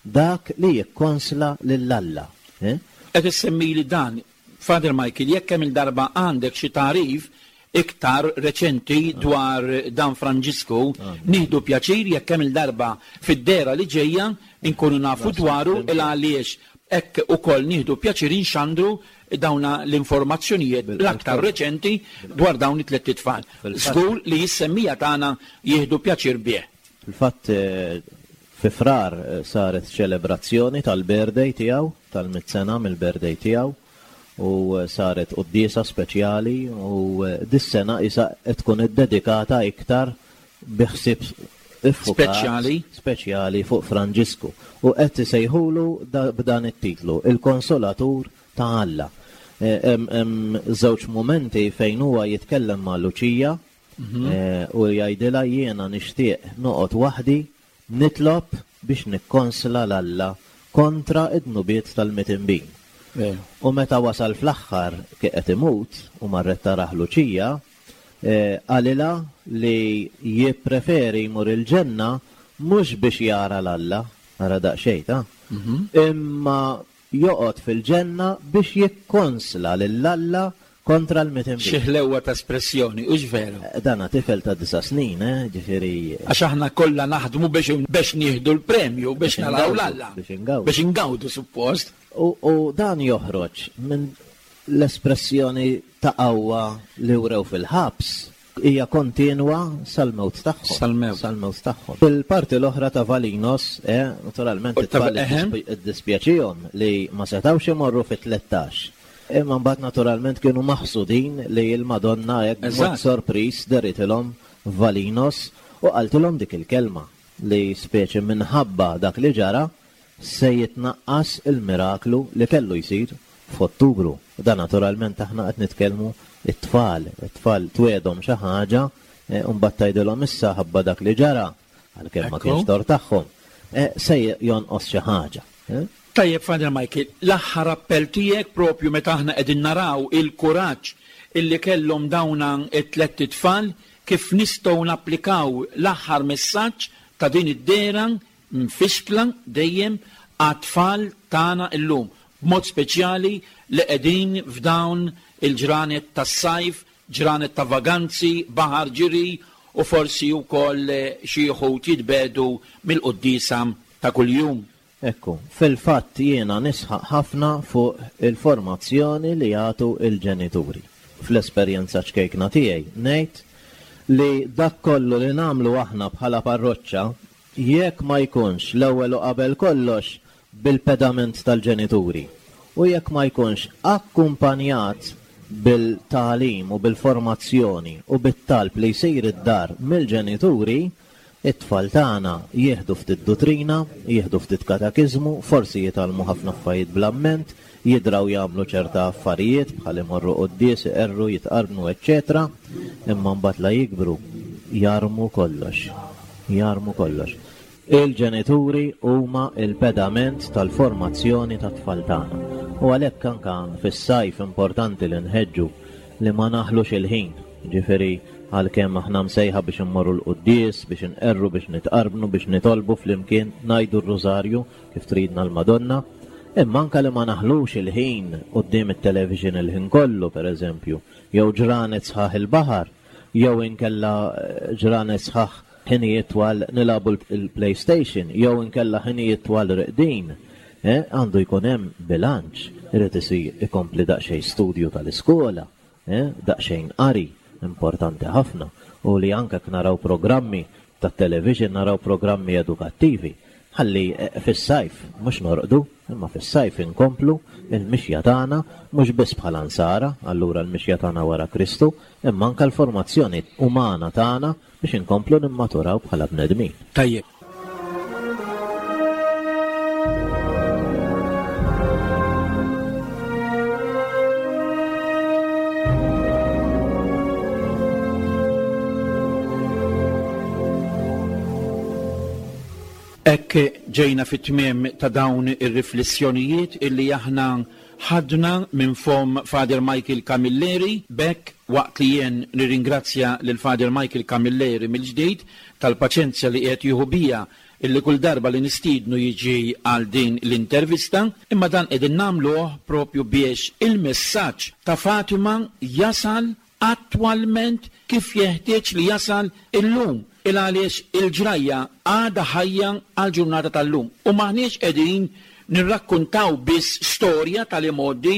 dak li jikkonsla lil Alla. Eh? Qed issemmili dan, Father Michael, jekk hemm il-darba għandek xi tagħrif iktar reċenti dwar dan Franġisku, nieħdu pjaċir jekk hemm il-darba fid-dehra li ġejja nkunu nafu dwaru il għaliex hekk ukoll nieħdu pjaċir inxandru dawna l-informazzjonijiet l-aktar reċenti dwar dawn it-tliet itfal. Żgur li jissemmija tagħna jieħdu pjaċir bih. Fil-fatt fi Frar saret ċelebrazzjoni tal-birthday tiegħu, tal-mitt sena mill-birthday tiegħu, u saret quddiesa speċjali u dis-sena isa qed tkun iddedikata iktar bi ħsieb speċjali speċjali fuq Franġisku u qed isejħulu b'dan it-titlu, il-Konsolatur ta' Alla. Hemm żewġ mumenti fejn huwa jitkellem ma' Luċija u jgħidilha jiena nixtieq noqgħod waħdi nitlob biex nikkonsla l Alla kontra id-dnubiet tal-mitinbin. U meta wasal fl-aħħar kif qed imut u marret taraħ Luċija, qalilha li jippreferi jmur il-ġenna mhux biex jara l-Alla, ara daqsxejn ta', imma joqgħod fil-ġenna biex jikkonsla lil-Alla kontra l-mitinbin. Xi ħlewwa ta' espressjoni, hux veru? Dana tifel ta' disa' snin, eh, ġifieri. Għax aħna kollha naħdmu biex biex nieħdu l-premju, biex naraw l-Alla. Biex ingawdu. Biex ingawdu suppost. U, u dan joħroġ minn l-espressjoni ta' qawwa li wrew fil-ħabs hija kontinwa sal-mewt tagħhom. Sal-mewt. Sal-mewt tagħhom. Fil-parti l-oħra ta' Valinhos, eh, naturalment it-tfal iddispjaċihom li ma setgħux imorru fit-tlettax. Imma mbagħad naturalment kienu maħsudin li l-Madonna hekk b'mod sorpriż deritilhom Valinhos u qaltilhom dik il-kelma li speċi minħabba dak li ġara se jitnaqqas il-miraklu li kellu jsir f'Ottubru. U dan naturalment aħna qed nitkellmu it-tfal, it-tfal twedhom xi ħaġa u mbagħad tgħidilhom issa ħabba dak li ġara għalkemm ma kienx tor tagħhom, se jonqos xi ħaġa. Tajjeb, Father Michael, l-aħħar appell tiegħek propju meta aħna qegħdin naraw il-kuraġġ illi kellhom dawna t-tlett itfal, kif nistgħu napplikaw l-aħħar messaġġ ta' din id-dehra mfixkla dejjem għat-tfal tagħna illum, b'mod speċjali li qegħdin f'dawn il-ġranet tas-sajf, ġranet ta' vaganzi, baħar ġiri u forsi wkoll xi wħud jitbedu mill-quddiesa ta' kuljum. Ekku, fil-fatt jiena nisħaq ħafna fuq il-formazzjoni li jagħtu il-ġenituri. Fl-esperjenza ċkejkna tiegħi ngħid li dak kollu li nagħmlu aħna bħala parroċċa jekk ma jkunx l-ewwel u qabel kollox bil-pedament tal-ġenituri u jekk ma jkunx akkumpanjat bil-tagħlim u bil-formazzjoni u bit-talb li jsir id-dar mill-ġenituri, it-tfal tagħna jieħdu ftit dottrina, jieħdu ftit katekiżmu, forsi jitgħallmu ħafna affarijiet bl-amment, jidraw jagħmlu ċerta affarijiet bħal imorru quddies, iqerru, jitqarbnu, eċċetera, imma mbagħad la jikbru jarmu kollox. Jarmu kollox. Il-ġenituri huma il-pedament tal-formazzjoni tat-tfal tagħna. U għalhekk anke fis-sajf importanti li nħeġġu li ma naħlux il-ħin, ġifieri għalkemm aħna msejħa biex immorru l-quddies, biex inqerru, biex nitqarbnu, biex nitolbu flimkien, ngħidu r-rużarju kif tridna l-Madonna, imma anke li ma naħlux il-ħin quddiem it-television il-ħin kollu, pereżempju, jew ġranet sħaħ il-baħar, jew inkella ġranet sħaħ ħinijiet twal nilagħbu l-PlayStation, jew inkella ħinijiet twal reqdin. Għandu jkun hemm bilanċ, irid isir ikompli daqsxejn studju tal-iskola, daqsxejn qari, importanti ħafna, u li anke naraw programmi tat-television, naraw programmi edukattivi, ħalli fis-sajf mhux norqdu, imma fis-sajf inkomplu il-mixja tagħna mhux biss bħala nsara, allura l-mixja tagħna wara Kristu, imma anke l-formazzjoni umana tagħna biex inkomplu nimmaturaw bħala bnedmin. Tajjeb. Hekk ġejna fit-tmiem ta' dawn ir-riflessjonijiet illi aħna ħadna minn fom Father Michael Camilleri. B'hekk waqt li jien nirringrazzja lil Father Michael Camilleri mill-ġdid tal-paċenzja li qed jieħu bija illi kull darba li nistiednu jiġi għal din l-intervista, imma dan qegħdin nagħmluh propju biex il-messaġġ ta' Fatima jasal attwalment kif jeħtieġ li jasal illum, il għaliex il-ġrajja għadha ħajja għall-ġurnata tal-lum. U m'aħniex qegħdin nirrakkuntaw biss storja tal-imgħoddi,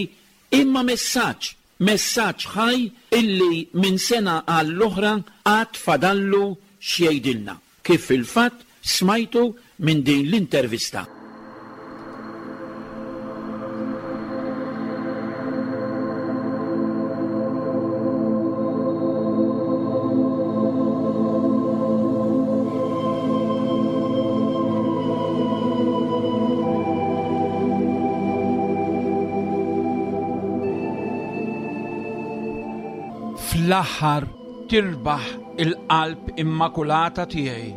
imma messaġġ, messaġġ ħaj illi minn sena għall-oħra għad fadallu x'jgħidilna, kif fil-fatt smajtu minn din l-intervista. Fl-aħħar tirbaħ il-qalb immakulata tiegħi,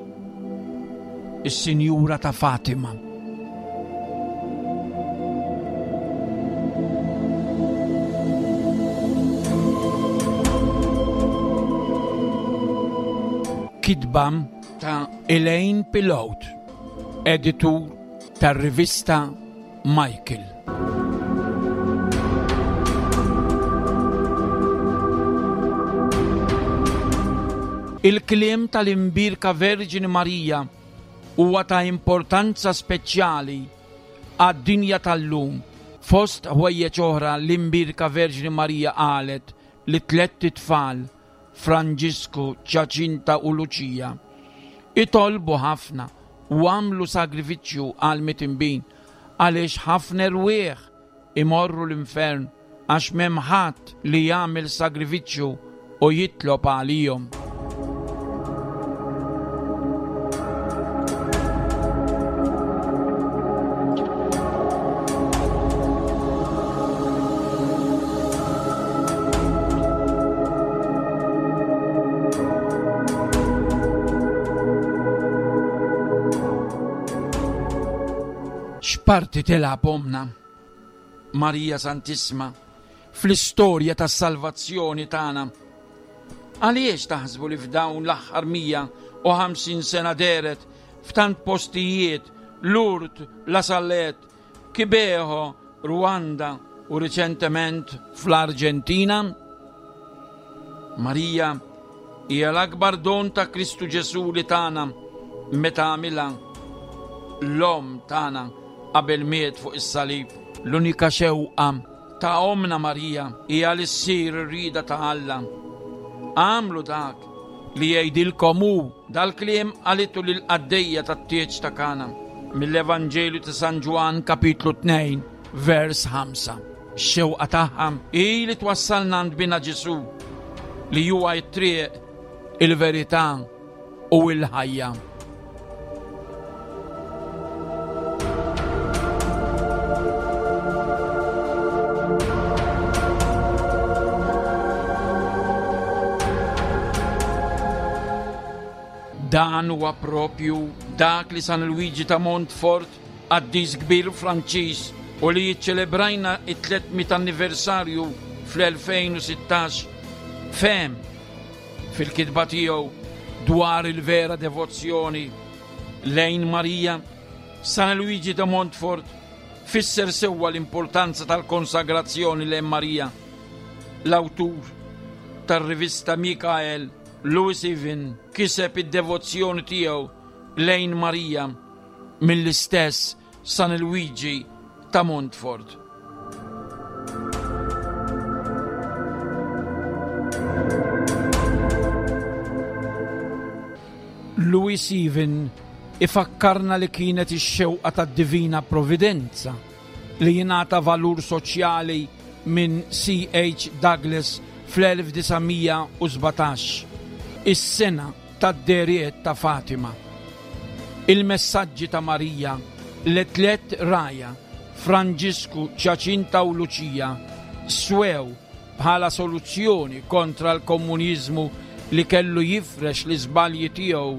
is-Sinjura ta' Fatima. Kitba ta' Elaine Pilot, editur tar-rivista Michael. Il-kliem tal-Imbierka Verġini Marija huwa ta' importanza speċjali għad-dinja tal-lum. Fost ħwejjeġ oħra l-Imbierka Verġini Marija qalet li tlett itfal, Franġisku, Ġaċinta u Luċija, itolbu ħafna u għamlu sagrifiċċju għal mitinbin għaliex ħafna erwieħ imorru l-infern għax m'hemm ħadd li jagħmel sagrifiċċju u jitlob għalihom. X'parti tilgħab omna Marija Santissima fl-istorja tas-salvazzjoni tagħna? Għaliex taħsbu li f'dawn l-aħħar mija u ħamsin sena dehret f'tant postijiet, Lourdes, La Salette, Kibeho, Rwanda u riċentement fl-Arġentina? Marija hija l-akbar don ta' Kristu Ġesù li tagħna meta għamilha l-omm tagħna qabel miet fuq is-salib. L-unika xewqa ta' omna Marija hija li ssir ir-rieda ta' Alla. Għamlu dak li jgħidilkom hu. Dal-kliem qalitu lill-qaddejja tat-tieġ ta' Kana mill-Evanġelju ta' San Ġwann kapitlu tnejn vers ħamsa. X-xewqa tagħha hi li twassalna għand bina Ġesù li huwa t-triq, il-verità u l-ħajja. Dan huwa propju dak li San Luigi ta' Montfort, qaddis kbir Franċiż, u li jiċċelebrajna it-tliet mitt anniversarju fl-elfejn u sittax, fehem fil-kitba tiegħu dwar il-vera devozzjoni lejn Marija. San Luigi ta' Montfort fisser sewwa l-importanza tal-konsagrazzjoni lejn Marija. L-awtur tar-rivista Mikael, Louis Even, kiseb id-devozzjoni tiegħu lejn Marija mill-istess San Luigi ta' Montfort. Louis Even ifakkarna li kienet ix-xewqa tad-Divina Providenza li jingħata valur soċjali minn C H Douglas fl-elf disa' mija u sbatax, is-sena tad-deriet ta' Fatima. Il-messaġġi ta' Marija li tliet raja, Franġisku, Ġaċinta u Luċija, swew bħala soluzzjoni kontra l-komuniżmu li kellu jifrex l-iżbalji tiegħu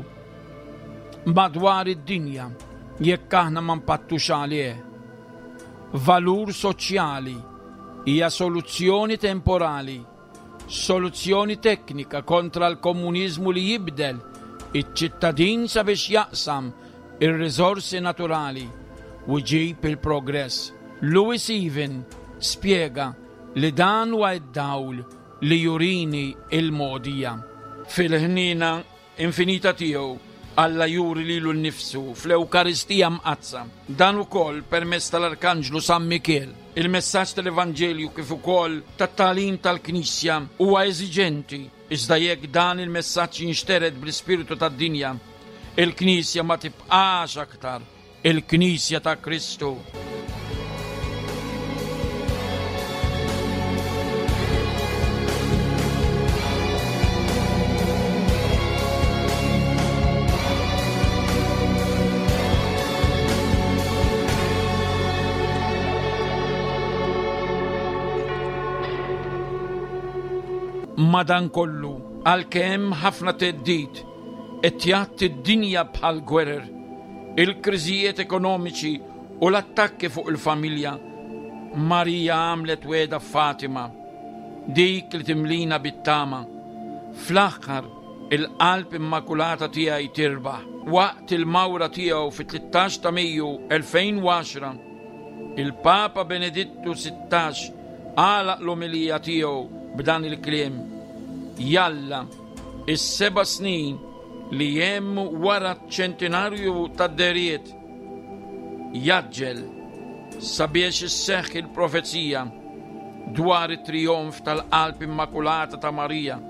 madwar id-dinja jekk aħna ma npattux għalih. Valur soċjali hija soluzzjoni temporali, soluzzjoni teknika kontra l-komuniżmu li jibdel iċ-ċittadin sabiex jaqsam ir-riżorsi naturali u jġib il-progress. Louis Even spjega li dan huwa d-dawl li jurini il-mogħdija. Fil-ħniena infinita tiegħu Alla juri lilu nnifsu fl-Ewkaristija Mqaddsa. Dan ukoll permezz tal-Arkanġlu San Mikiel. Il-messaġġ tal-Evanġelju kif ukoll tat-tagħlim tal-Knisja huwa eżiġenti, iżda jekk dan il-messaġġ jinxtered bl-ispirtu tad-dinja, il-Knisja ma tibqax aktar il-Knisja ta' Kristu. Madankollu, għalkemm ħafna theddid qed jgħatti d-dinja bħal gwerer, il-kriżijiet ekonomiċi u l-attakki fuq il-familja, Marija għamlet wegħda f'Fatima, dik li timlina bit-tama. Fl-aħħar, il-qalb immakulata tiegħi tirbaħ. Waqt il-mawra tiegħu fit-tlettax ta' Mejju elfejn u għaxra, il-Papa Benedittu sittax għalaq l-omelija tiegħu b'dan il-kliem: Jalla, is-seba' snin li hemm wara ċ-ċentinarju tad-dehriet jaġġel sabiex isseħħ il-profezija dwar it-trijonf tal-qalb immakulata ta' Marija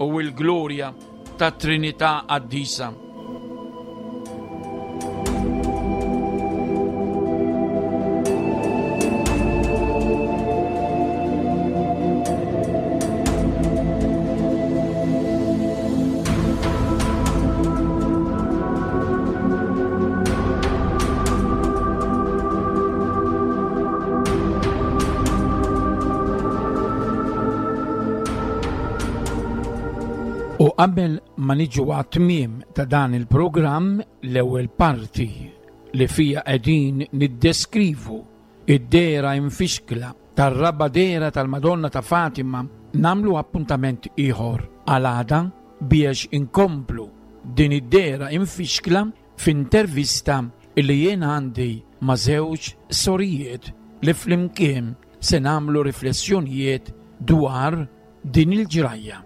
u l-glorja tat-Trinità Qaddisa. U qabel ma niġu għat-tmiem ta' dan il-programm, l-ewwel parti li fija qegħdin niddeskrivu id-dehra imfixkla tar-raba' dehra tal-Madonna ta' Fatima, namlu appuntament ieħor għal għada biex inkomplu din id-dehra imfixkla f'intervista li jien għandi ma' żewġ sorijiet li flimkien se nagħmlu riflessjonijiet dwar din il-ġrajja.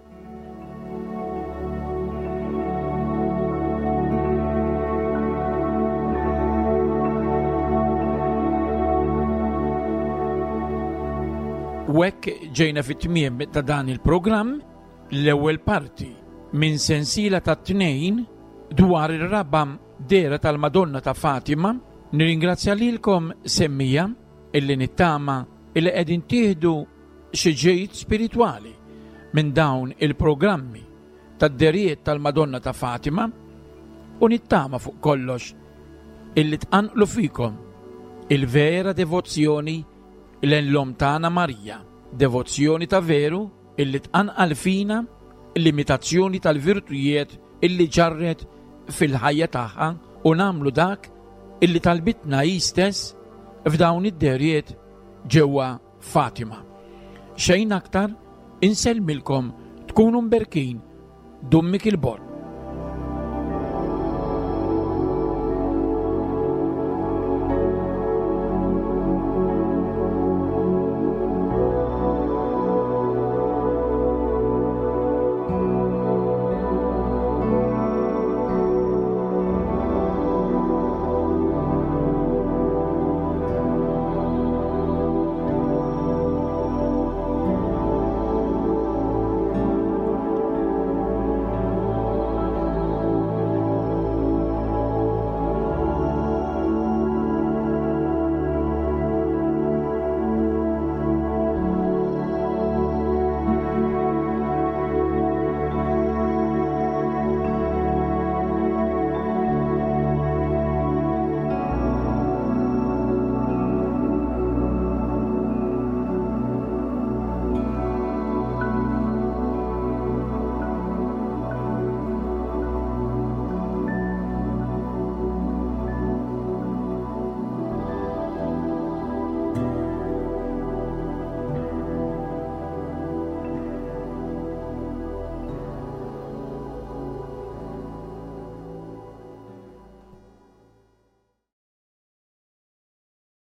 U hekk ġejna fit-tmiem ta' dan il-programm, l-ewwel parti minn sensiela ta' tnejn dwar ir-raba' dehra tal-Madonna ta' Fatima. Nirringrazzja lilkom semmija illi nittama illi qegħdin tieħdu xi ġejt spiritwali minn dawn il-programmi tad-dehriet tal-Madonna ta' Fatima, u nittama fuq kollox illi tqanqlu fikom il-vera devozzjoni lejn l-Omm tagħna Marija, devozzjoni ta' veru illi tqanqal fina l-imitazzjoni tal-virtujiet illi ġarret fil-ħajja tagħha, u nagħmlu dak illi talbitna hi stess f'dawn id-dehriet ġewwa Fatima. Xejn aktar, insellmilkom, tkunu mberkin, Dun Mikiel Borg.